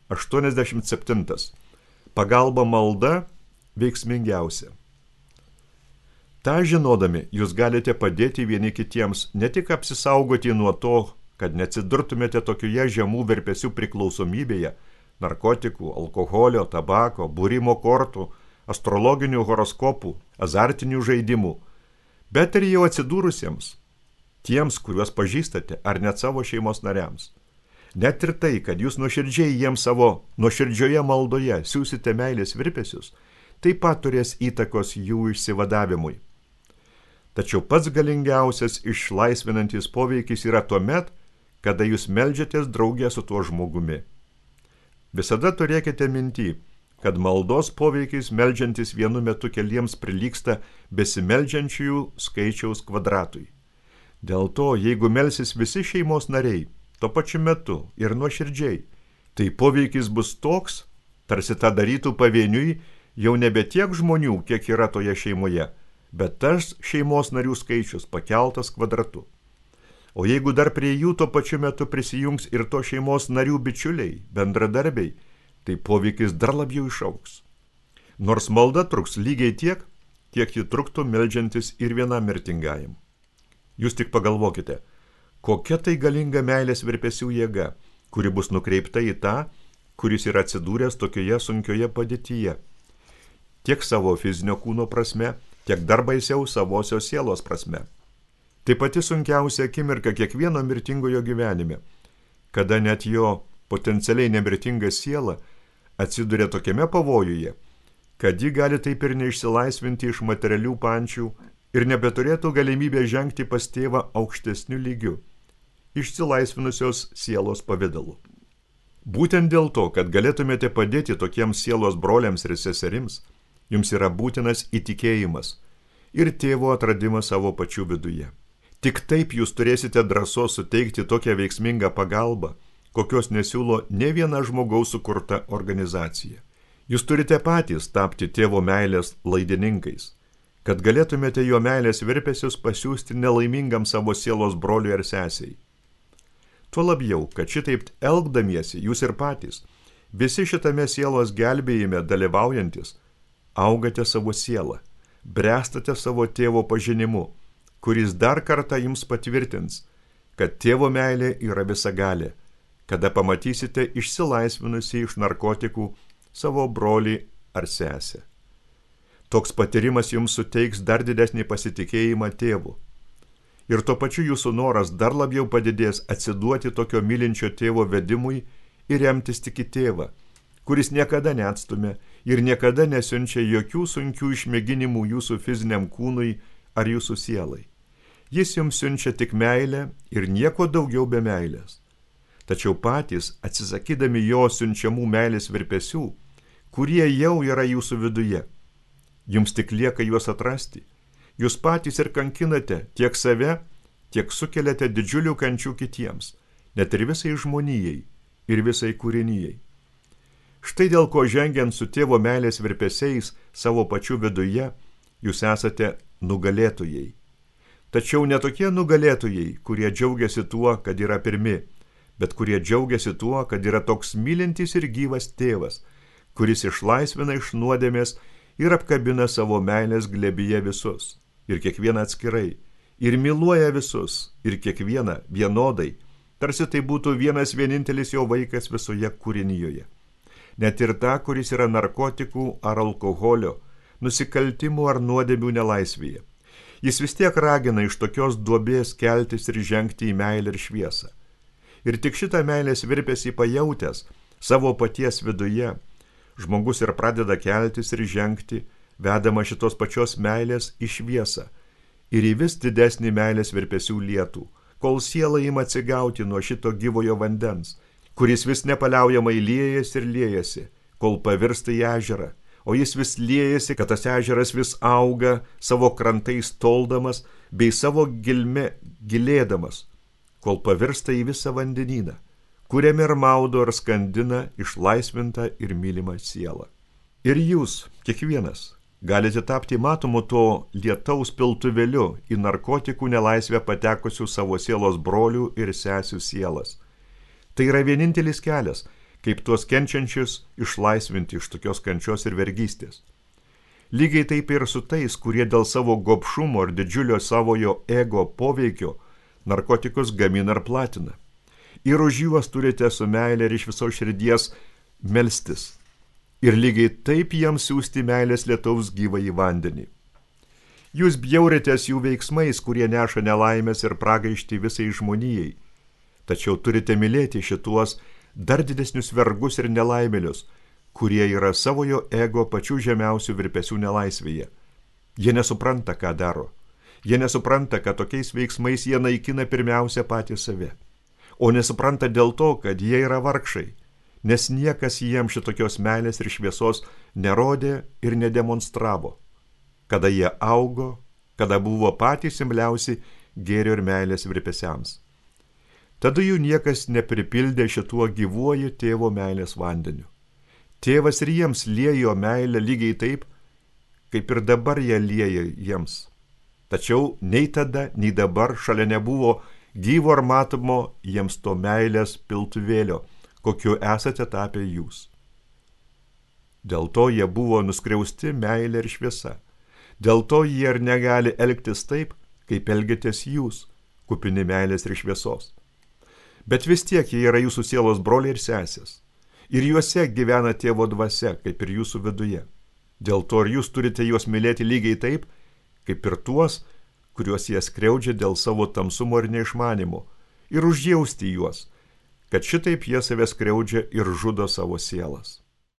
87. Pagalba malda veiksmingiausia. Ta žinodami, jūs galite padėti vieni kitiems ne tik apsisaugoti nuo to, kad neatsidurtumėte tokioje žemų virpesių priklausomybėje, narkotikų, alkoholio, tabako, būrimo kortų, astrologinių horoskopų, azartinių žaidimų, bet ir jau atsidūrusiems, tiems, kuriuos pažįstate, ar net savo šeimos nariams. Net ir tai, kad jūs nuoširdžiai jiems savo nuoširdžioje maldoje siūsite meilės virpesius, taip pat turės įtakos jų išsivadavimui. Tačiau pats galingiausias išlaisvinantis poveikis yra tuomet, kada jūs meldžiatės draugė su tuo žmogumi. Visada turėkite minty, kad maldos poveikis meldžiantis vienu metu keliems prilygsta besimeldžiančiųjų skaičiaus kvadratui. Dėl to, jeigu melsis visi šeimos nariai, tuo pačiu metu ir nuoširdžiai, tai poveikis bus toks, tarsi tą darytų pavieniui jau nebe tiek žmonių, kiek yra toje šeimoje, bet tas šeimos narių skaičius pakeltas kvadratu. O jeigu dar prie jų tuo pačiu metu prisijungs ir to šeimos narių bičiuliai, bendradarbiai, tai poveikis dar labiau išaugs. Nors malda truks lygiai tiek, kiek ji truktų meldžiantis ir vienam mirtingajam. Jūs tik pagalvokite, kokia tai galinga meilės virpesių jėga, kuri bus nukreipta į tą, kuris yra atsidūręs tokioje sunkioje padėtyje. Tiek savo fizinio kūno prasme, tiek dar baisiau savosios sielos prasme. Tai pati sunkiausia akimirka kiekvieno mirtingojo gyvenime, kada net jo potencialiai nemirtinga siela atsiduria tokiame pavojuje, kad ji gali taip ir neišsilaisvinti iš materialių pančių ir nebeturėtų galimybę žengti pas tėvą aukštesniu lygiu, išsilaisvinusios sielos pavidalu. Būtent dėl to, kad galėtumėte padėti tokiems sielos broliams ir seserims, jums yra būtinas įtikėjimas ir tėvo atradimas savo pačių viduje. Tik taip jūs turėsite drąsos suteikti tokią veiksmingą pagalbą, kokios nesiūlo ne viena žmogaus sukurta organizacija. Jūs turite patys tapti tėvo meilės laidininkais, kad galėtumėte jo meilės virpesius pasiųsti nelaimingam savo sielos broliui ar sesiai. Tuo labiau, kad šitaip elgdamiesi jūs ir patys, visi šitame sielos gelbėjime dalyvaujantis, augate savo sielą, brestate savo tėvo pažinimu, kuris dar kartą jums patvirtins, kad tėvo meilė yra visagalė, kada pamatysite išsilaisvinusi iš narkotikų savo brolį ar sesę. Toks patyrimas jums suteiks dar didesnį pasitikėjimą tėvu. Ir tuo pačiu jūsų noras dar labiau padidės atsiduoti tokio mylinčio tėvo vedimui ir remtis tik į tėvą, kuris niekada neatstumia ir niekada nesiunčia jokių sunkių išmėginimų jūsų fiziniam kūnui ar jūsų sielai. Jis jums siunčia tik meilę ir nieko daugiau be meilės. Tačiau patys, atsisakydami jo siunčiamų meilės virpesių, kurie jau yra jūsų viduje, jums tik lieka juos atrasti. Jūs patys ir kankinate tiek save, tiek sukeliate didžiulių kančių kitiems, net ir visai žmonijai ir visai kūrinijai. Štai dėl ko žengiant su tėvo meilės virpesiais savo pačių viduje, jūs esate nugalėtojai. Tačiau ne tokie nugalėtojai, kurie džiaugiasi tuo, kad yra pirmi, bet kurie džiaugiasi tuo, kad yra toks mylintis ir gyvas tėvas, kuris išlaisvina iš nuodėmės ir apkabina savo meilės glėbyje visus, ir kiekvieną atskirai, ir myluoja visus, ir kiekvieną vienodai, tarsi tai būtų vienas vienintelis jo vaikas visoje kūrinijoje. Net ir tą, kuris yra narkotikų ar alkoholio, nusikaltimų ar nuodėmių nelaisvėje. Jis vis tiek ragina iš tokios duobės keltis ir žengti į meilę ir šviesą. Ir tik šitą meilės virpesį pajautęs savo paties viduje, žmogus ir pradeda keltis ir žengti, vedama šitos pačios meilės į šviesą ir į vis didesnį meilės virpesių lietų, kol siela ima atsigauti nuo šito gyvojo vandens, kuris vis nepaliaujamai liejasi ir liejasi, kol pavirsta į ežerą, o jis vis liejasi, kad tas ežeras vis auga, savo krantais toldamas, bei savo gilme gilėdamas, kol pavirsta į visą vandenyną, kuriame ir maudo ir skandina išlaisvintą ir mylimą sielą. Ir jūs, kiekvienas, galite tapti matomu to lietaus piltuvėliu į narkotikų nelaisvę patekusių savo sielos brolių ir sesių sielas. Tai yra vienintelis kelias, kaip tuos kenčiančius išlaisvinti iš tokios kančios ir vergystės. Lygiai taip ir su tais, kurie dėl savo gobšumo ir didžiulio savojo ego poveikio narkotikus gamina ir platina. Ir už juos turite su meilė ir iš viso širdies melstis. Ir lygiai taip jiems siųsti meilės lietaus gyvąjį vandenį. Jūs bjauritės jų veiksmais, kurie neša nelaimės ir pragaištį visai žmonijai. Tačiau turite mylėti šituos dar didesnius vergus ir nelaimėlius, kurie yra savojo ego pačių žemiausių virpesių nelaisvėje. Jie nesupranta, ką daro. Jie nesupranta, kad tokiais veiksmais jie naikina pirmiausia patį save. O nesupranta dėl to, kad jie yra vargšai, nes niekas jiems šitokios meilės ir šviesos nerodė ir nedemonstravo, kada jie augo, kada buvo patys imliausi gėrio ir meilės virpesiams. Tada jų niekas nepripildė šituo gyvuoju tėvo meilės vandeniu. Tėvas ir jiems liejo meilę lygiai taip, kaip ir dabar jie lieja jiems. Tačiau nei tada, nei dabar šalia nebuvo gyvo ar matomo jiems to meilės piltuvėlio, kokiu esate tapę jūs. Dėl to jie buvo nuskriausti meilė ir šviesa. Dėl to jie ir negali elgtis taip, kaip elgitės jūs, kupini meilės ir šviesos. Bet vis tiek jie yra jūsų sielos broliai ir sesės. Ir juose gyvena tėvo dvasia, kaip ir jūsų viduje. Dėl to ir jūs turite juos mylėti lygiai taip, kaip ir tuos, kuriuos jie skriaudžia dėl savo tamsumo ir neišmanimo, ir užjausti juos, kad šitaip jie save skriaudžia ir žudo savo sielas.